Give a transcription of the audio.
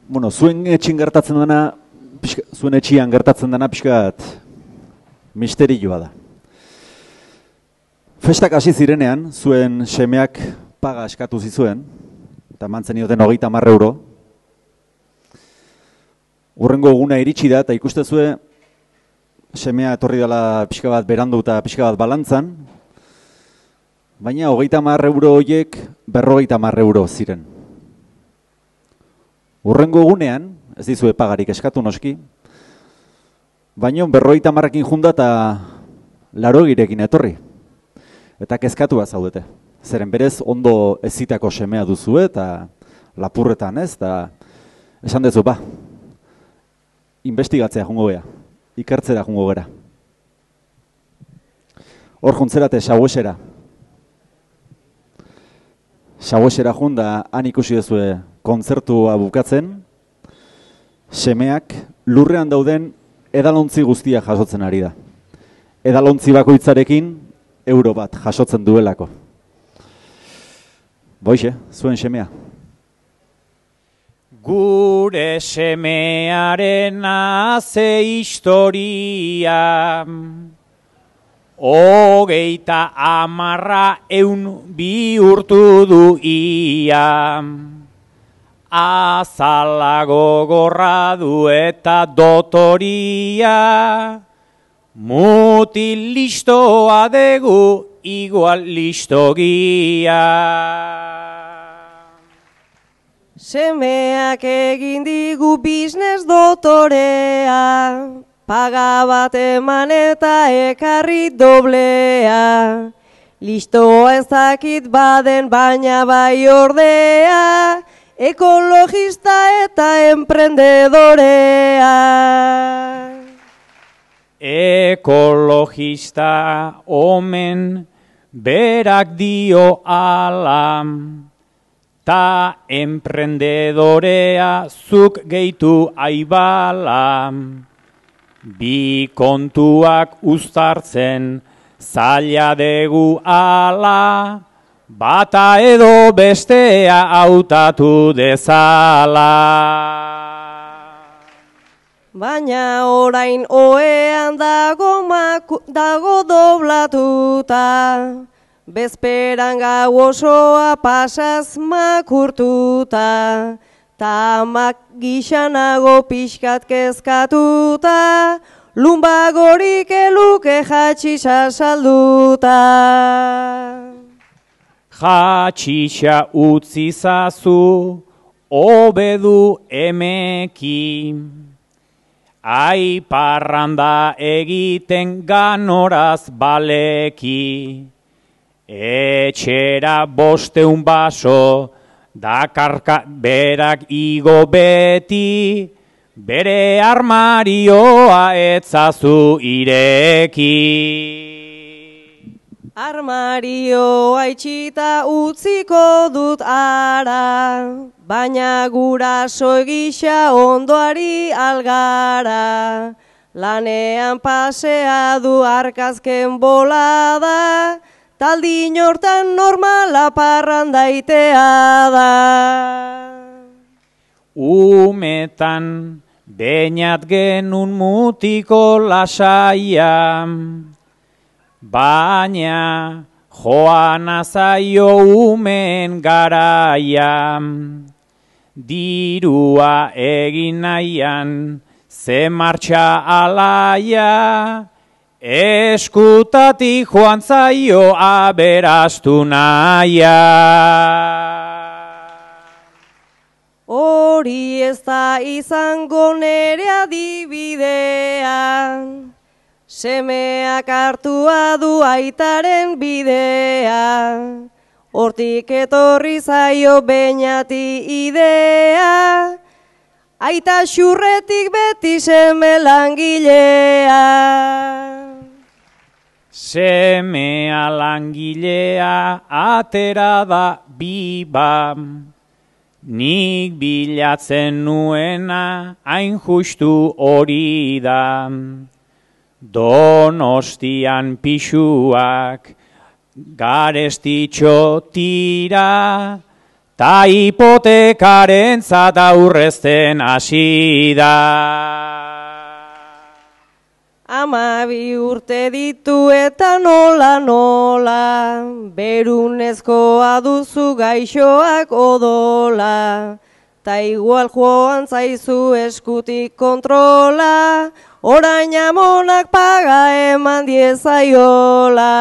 Bueno, zuen etxin gertatzen dena, zuen etxian gertatzen dena pixkat misterioa da. Festak hasi zirenean, zuen semeak paga eskatu zizuen, eta mantzen ioten 30 euro. Hurrengo eguna iritsi da, eta ikustezue semea etorri dela pixka bat berandu eta pixka bat balantzan, baina 30 euro horiek 50 euro ziren. Hurrengo egunean, ez dizue pagarik eskatu noski, baina 50ekin junda eta 80ekin etorri. Eta kezkatua zaudete. Zeren berez ondo ezitako semea duzu eta lapurretan ez, eta esan dezu, investigatzea jungo gea, ikertzera jungo gera. Hor juntzerate Sauesera. Sauesera junda han ikusi duzue kontzertua bukatzen, semeak lurrean dauden edalontzi guztia jasotzen ari da. Edalontzi bakoitzarekin euro bat jasotzen duelako. Boixe, zuen semea. Gure semearen ze historia, 30 bihurtu du ia. Azalago gorra du eta dotoria, mutil listoa degu igual listogia. Semeak egin digu biznes dotorea, paga bat eman eta ekarri doblea. Listoa ez dakit baden baina bai ordea, ekologista eta emprendedorea. Ekologista omen berak dio alam, ta emprendedorea zuk gehitu aibala. Bi kontuak uztartzen zaila degu ala, bata edo bestea hautatu dezala. Baina orain oean dago doblatuta, bezperan gau osoa pasaz makurtuta, ta amak gixanago pixkat kezkatuta, lumbagorik eluke jatxisa salduta. Jatxisa utzi zazu, obedu emeki, ai parranda egiten ganoraz baleki. Etxera 500 baso, dakarka berak igo beti, bere armarioa etzazu ireki. Armarioa itxita utziko dut ara, baina guraso gisa ondoari algara. Lanean pasea du arkazken bolada, taldin hortan normala parrandaitea da. Umetan beinat genun mutiko lasaia, baina joan azaio umen garaia. Dirua egin nahian ze martxa alaia, eskutatik joan zaio aberastu naia. Hori ez da izango nere adibidea, semeak hartua du aitaren bidea, hortik etorri zaio beinati idea, aita xurretik beti seme langilea. Semea langilea atera da biba, nik bilatzen nuena hain justu hori da. Donostian pixuak garestitxo tira, ta hipotekaren zat aurrezten hasi da. 12 urte ditu eta nola, berunezkoa duzu gaixoak odola, ta igual joan zaizu eskutik kontrola, orain amonak paga eman diezaiola.